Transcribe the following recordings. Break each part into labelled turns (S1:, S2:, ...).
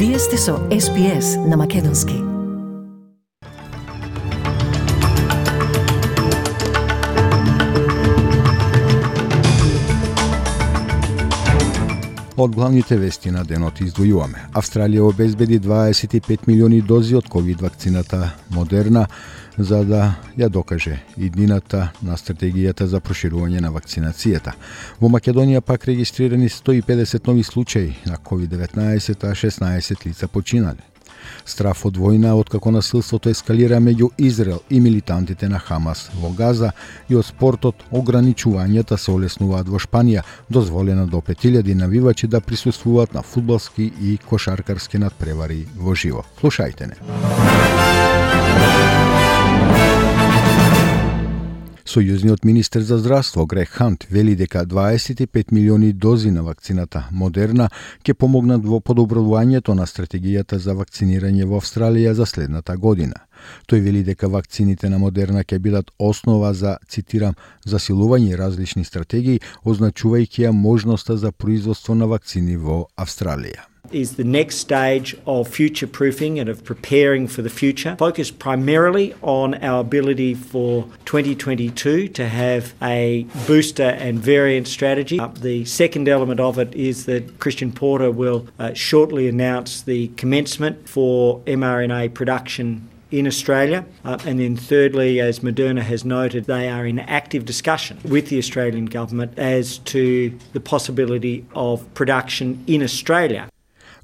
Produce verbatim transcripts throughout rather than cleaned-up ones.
S1: Вие сте со Ес Би Ес на Македонски.
S2: Од главните вести на денот издвојуваме. Австралија обезбеди дваесет и пет милиони дози од ковид вакцината Модерна за да ја докаже иднината на стратегијата за проширување на вакцинацијата. Во Македонија пак регистрирани сто и педесет нови случаи на ковид деветнаесет, а шеснаесет лица починале. Страф од војна откако насилството ескалира меѓу Израел и милитантите на Хамас во Газа и од спортот ограничувањата се олеснуваат во Шпанија, дозволено до пет илјади навивачи да присуствуваат на фудбалски и кошаркарски надпревари во живо. Слушајте не. Сојузниот министер за здравство Грег Хант вели дека дваесет и пет милиони дози на вакцината Модерна ќе помогнат во подобрувањето на стратегијата за вакцинирање во Австралија за следната година. Тој вели дека вакцините на Модерна ќе бидат основа за, цитирам, засилување различни стратегии, означувајќи ја можноста за производство на вакцини во Австралија.
S3: Is the next stage of future-proofing and of preparing for the future, focused primarily on our ability for twenty twenty-two to have a booster and variant strategy. Uh, the second element of it is that Christian Porter will uh, shortly announce the commencement for mRNA production in Australia. Uh, and then thirdly, as Moderna has noted, they are in active discussion with the Australian government as to the possibility of production in Australia.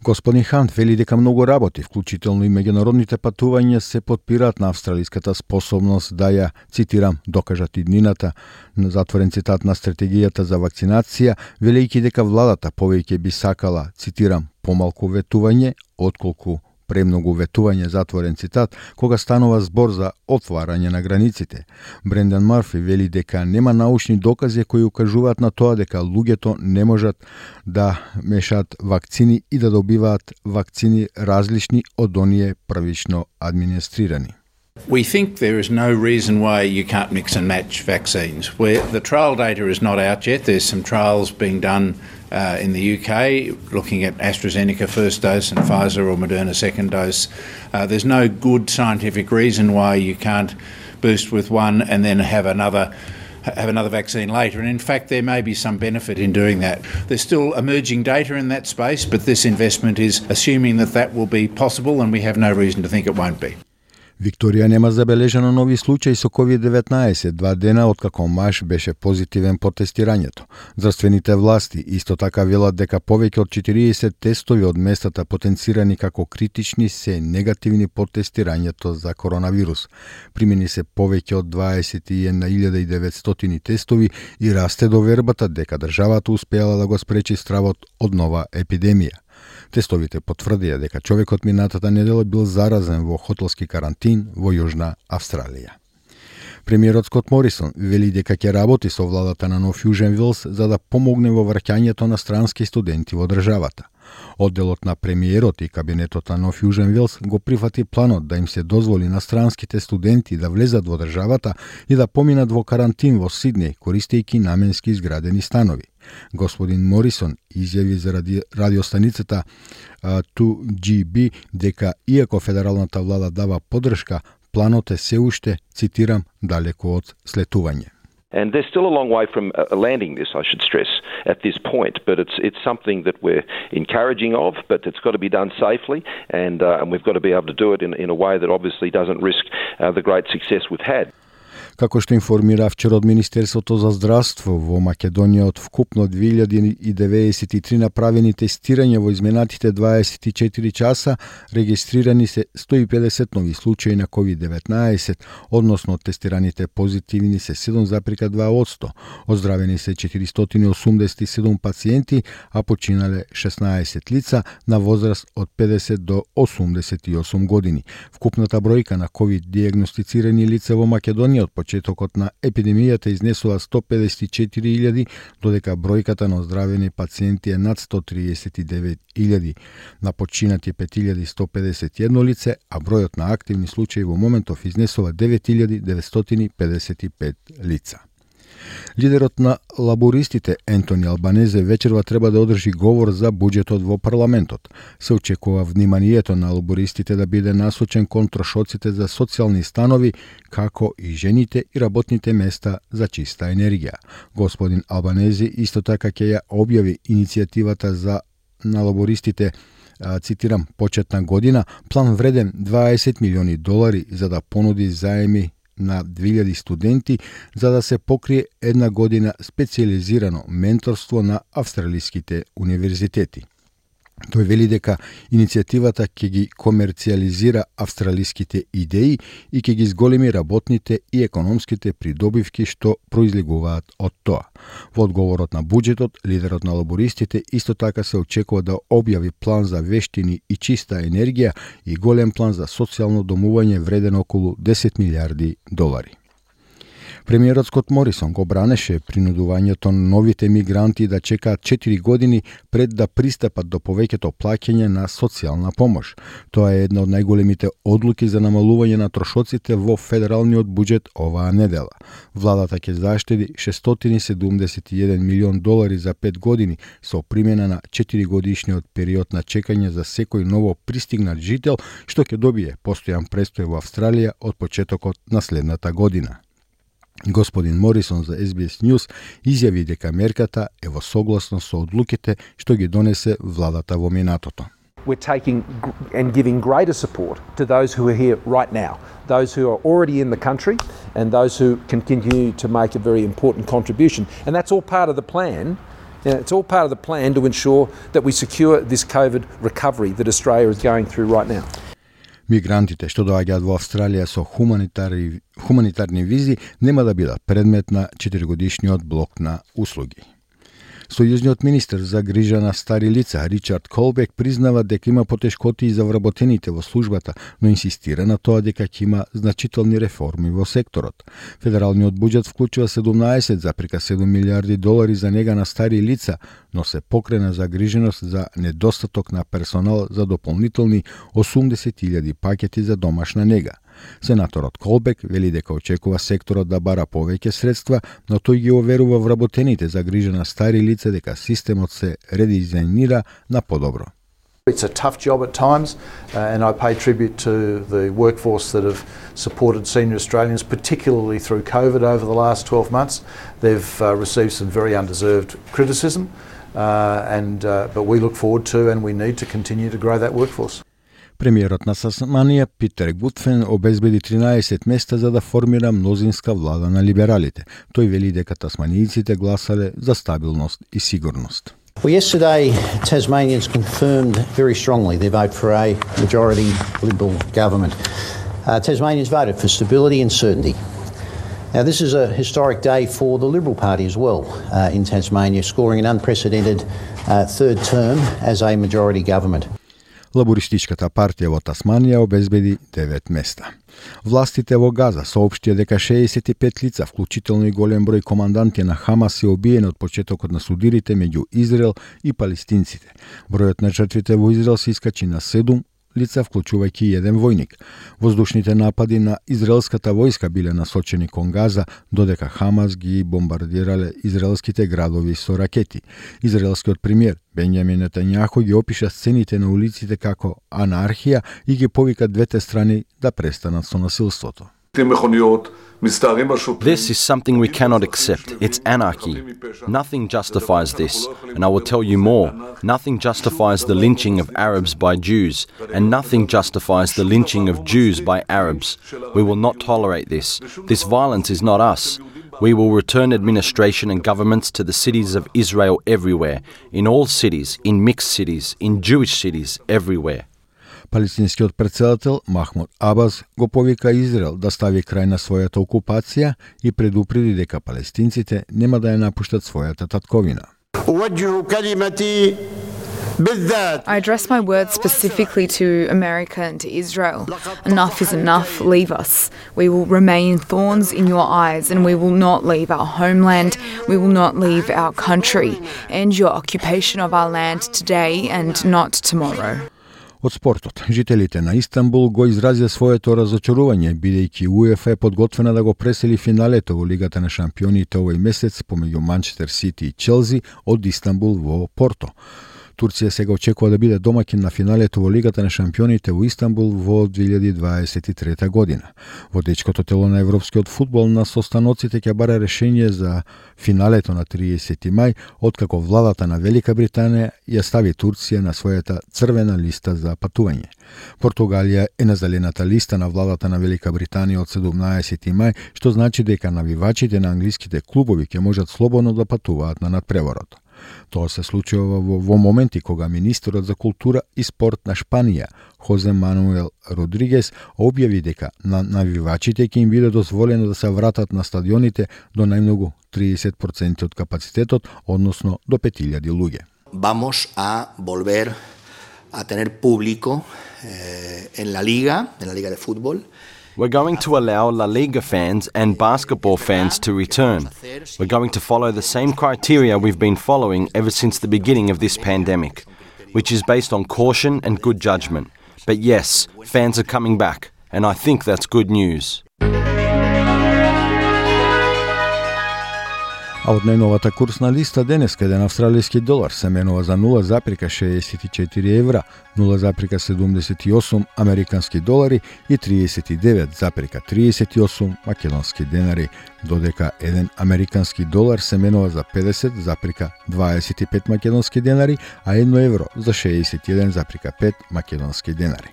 S2: Господин Хант вели дека многу работи, вклучително и меѓународните патувања, се потпираат на австралиската способност да ја, цитирам, докажат иднината, на затворен цитат на стратегијата за вакцинација, велејќи дека владата повеќе би сакала, цитирам, помалку ветување, отколку премногу ветување, затворен цитат, кога станува збор за отварање на границите. Брендан Марфи вели дека нема научни докази кои укажуваат на тоа дека луѓето не можат да мешаат вакцини и да добиваат вакцини различни од оние првично администрирани.
S4: We think there is no reason why you can't mix and match vaccines. Where the trial data is not out yet. There's some trials being done uh, in the U K looking at AstraZeneca first dose and Pfizer or Moderna second dose. Uh, there's no good scientific reason why you can't boost with one and then have another have another vaccine later, and in fact there may be some benefit in doing that. There's still emerging data in that space, but this investment is assuming that that will be possible, and we have no reason to think it won't be.
S2: Викторија нема забележано нови случаи со ковид деветнаесет два дена откако маж беше позитивен по тестирањето. Здравствените власти исто така велат дека повеќе од четириесет тестови од местата потенцирани како критични се негативни по тестирањето за коронавирус. Примени се повеќе од дваесет и една илјада и деветстотини тестови и расте довербата дека државата успеала да го спречи стравот од нова епидемија. Тестовите потврдија дека човекот минатата недела бил заразен во хотелски карантин во Јужна Австралија. Премиерот Скот Морисон вели дека ќе работи со владата на Нов Јужен Велс за да помогне во враќањето на странски студенти во државата. Одделот на премиерот и кабинетот на Нов Јужен Велс го прифати планот да им се дозволи на странските студенти да влезат во државата и да поминат во карантин во Сиднеј, користејќи наменски изградени станови. Господин Морисон изјави за ради, радиостаницата ту џи би дека иако федералната влада дава поддршка, планот е се уште, цитирам, далеко од слетување.
S5: And they're still a long way from uh, landing this, I should stress, at this point. But it's it's something that we're encouraging of, but it's got to be done safely, and uh, and we've got to be able to do it in, in a way that obviously doesn't risk uh, the great success we've had.
S2: Како што информира вчера од Министерството за здравство, во Македонија од вкупно две илјади и деветдесет и три направени тестирања во изминатите дваесет и четири часа, регистрирани се сто и педесет нови случаи на ковид деветнаесет, односно од тестираните позитивни се седум зарез два одсто, оздравени се четиристотини и осумдесет и седум пациенти, а починале шеснаесет лица на возраст од педесет до осумдесет и осум години. Вкупната бројка на ковид диагностицирани лица во Македонија од почетокот на епидемијата изнесува сто педесет и четири илјади, додека бројката на оздравени пациенти е над сто триесет и девет илјади. На починати пет илјади сто педесет и едно лице, а бројот на активни случаи во моментов изнесува девет илјади деветстотини педесет и пет лица. Лидерот на лабористите Ентони Албанезе вечерва треба да одржи говор за буџетот во парламентот. Се очекува вниманието на лабористите да биде насочен кон трошоците за социјални станови, како и жените и работните места за чиста енергија. Господин Албанезе исто така ќе ја објави иницијативата за на лабористите, цитирам, почетна година, план вреден дваесет милиони долари за да понуди заеми на две илјади студенти за да се покрие една година специјализирано менторство на австралиските универзитети. Тој вели дека иницијативата ќе ги комерцијализира австралиските идеи и ќе ги зголеми работните и економските придобивки што произлегуваат од тоа. Во одговорот на буџетот, лидерот на лабористите исто така се очекува да објави план за вештини и чиста енергија и голем план за социјално домување вреден околу десет милиарди долари. Премиерот Скот Морисон го бранеше принудувањето на новите мигранти да чекаат четири години пред да пристапат до повеќето плаќање на социјална помош. Тоа е една од најголемите одлуки за намалување на трошоците во федералниот буџет оваа недела. Владата ќе заштеди шестстотини и седумдесет и еден милион долари за пет години со примена на четири годишниот период на чекање за секој ново пристигнат жител што ќе добие постојан престој во Австралија од почетокот на следната година. Господин Морисон за Ес Би Ес News изјави дека мерката е во согласно со одлуките што ги донесе владата во минатото.
S6: We're taking and giving greater support to those who are here right now, those who are already in the country and those who can continue to make a very important contribution. And that's all part of the plan. It's all part of the plan to ensure that we secure this COVID recovery that Australia is going through right now.
S2: Мигрантите што доаѓаат во Австралија со хуманитарни, хуманитарни визи нема да бидат предмет на четиригодишниот блок на услуги. Сојузниот министер за грижа на стари лица Ричард Колбек признава дека има потешкоти за вработените во службата, но инсистира на тоа дека ќе има значителни реформи во секторот. Федералниот буџет вклучува седумнаесет зарез седум милиарди долари за нега на стари лица, но се покрена загриженост за недостаток на персонал за дополнителни осумдесет илјади пакети за домашна нега. Сенаторот Колбек вели дека очекува секторот да бара повеќе средства, но тој ги оверува вработените за грижа на стари лица дека системот се редизајнира на подобро.
S7: It's a tough job at times, uh, and I pay tribute to the workforce that have supported senior Australians, particularly through COVID over the last twelve months. They've uh, received some very undeserved criticism, uh, and uh, but we look forward to and we need to continue to grow that workforce.
S2: Премиерот на Тасманија Питер Гутфен обезбеди тринаесет места за да формира мнозинска влада на либералите. Тој вели дека тасманијците гласале за стабилност и сигурност.
S8: Well, yesterday Tasmanians confirmed very strongly their vote for a majority Liberal government. Uh, Tasmanians voted for stability and certainty. Now, this is a historic day for the Liberal Party as well uh, in Tasmania, scoring an unprecedented uh, third term as a majority government.
S2: Лабористичката партија во Тасманија обезбеди девет места. Властите во Газа соопштија дека шеесет и пет лица, вклучително и голем број команданти на Хамас, се убиени од почетокот на судирите меѓу Израел и палестинците. Бројот на жртвите во Израел се искачи на седум лица, вклучувајќи и еден војник. Воздушните напади на израелската војска биле насочени кон Газа, додека Хамас ги бомбардирале израелските градови со ракети. Израелскиот премиер Бенјамин Нетањаху ги опиша сцените на улиците како анархија и ги повика двете страни да престанат со насилството.
S9: This is something we cannot accept. It's anarchy. Nothing justifies this. And I will tell you more. Nothing justifies the lynching of Arabs by Jews. And nothing justifies the lynching of Jews by Arabs. We will not tolerate this. This violence is not us. We will return administration and governments to the cities of Israel everywhere. In all cities, in mixed cities, in Jewish cities, everywhere.
S2: Палестинскиот претседател Махмуд Абас го повика Израел да стави крај на својата окупација и предупреди дека палестинците нема да ја напуштат својата татковина.
S10: I address my words specifically to America and to Israel. Enough is enough. Leave us. We will remain thorns in your eyes, and we will not leave our homeland. We will not leave our country. End your occupation of our land today and not tomorrow.
S2: Од спортот, жителите на Истанбул го изразија своето разочарување, бидејќи УЕФА е подготвена да го пресели финалето во Лигата на шампионите овој месец помеѓу Манчестер Сити и Челси од Истанбул во Порто. Турција сега очекува да биде домаќин на финалето во Лигата на шампионите во Истанбул во две илјади дваесет и трета година. Водечкото тело на европскиот фудбал на состаноците ќе бара решение за финалето на триесети мај, откако владата на Велика Британија ја стави Турција на својата црвена листа за патување. Португалија е на зелената листа на владата на Велика Британија од седумнаесети мај, што значи дека навивачите на англиските клубови ќе можат слободно да патуваат на надпреворот. Тоа се случува во, во моменти кога министерот за култура и спорт на Шпанија, Хозе Мануел Родригес, објави дека на навивачите ќе им биде дозволено да се вратат на стадионите до најмногу триесет проценти од капацитетот, односно до пет илјади луѓе.
S11: Vamos a volver a tener público eh, en la liga, en la liga de fútbol.
S9: We're going to allow La Liga fans and basketball fans to return. We're going to follow the same criteria we've been following ever since the beginning of this pandemic, which is based on caution and good judgment. But yes, fans are coming back, and I think that's good news.
S2: А од најновата курсна листа денеска еден австралијски долар се менува за нула запирка шеесет и четири евра, нула запирка седумдесет и осум американски долари и триесет и девет запирка триесет и осум македонски денари, додека еден американски долар се менува за педесет запирка дваесет и пет македонски денари, а едно евро за шеесет и еден запирка пет македонски денари.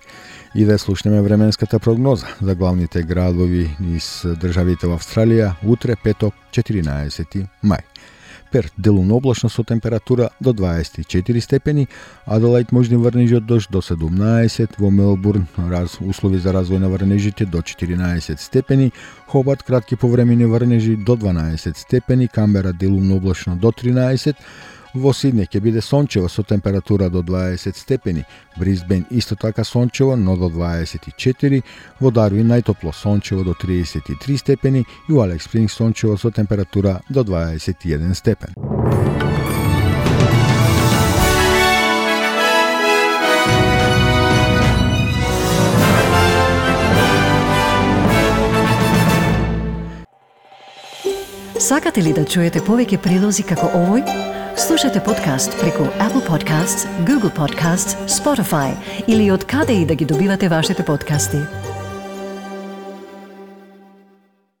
S2: И да слушнеме временската прогноза за главните градови низ државите во Австралија утре петок четиринаесети мај. Перт делумно облачно со температура до дваесет и четири степени, Аделаид можни врнежи од дожд до седумнаесет, во Мелбурн раз, услови за развој на врнежите до четиринаесет степени, Хобарт кратки повремени врнежи до дванаесет степени, Камбера делумно облачно до тринаесет, во Сиднеј ќе биде сончево со температура до дваесет степени, Брисбен исто така сончево, но до дваесет и четири, во Дарвин најтопло сончево до триесет и три степени и во Алекс Спрингс сончево со температура до дваесет и еден степен.
S1: Сакате ли да чуете повеќе прилози како овој? Слушате подкаст преку Apple Podcasts, Google Podcasts, Spotify или од каде и да ги добивате вашите подкасти.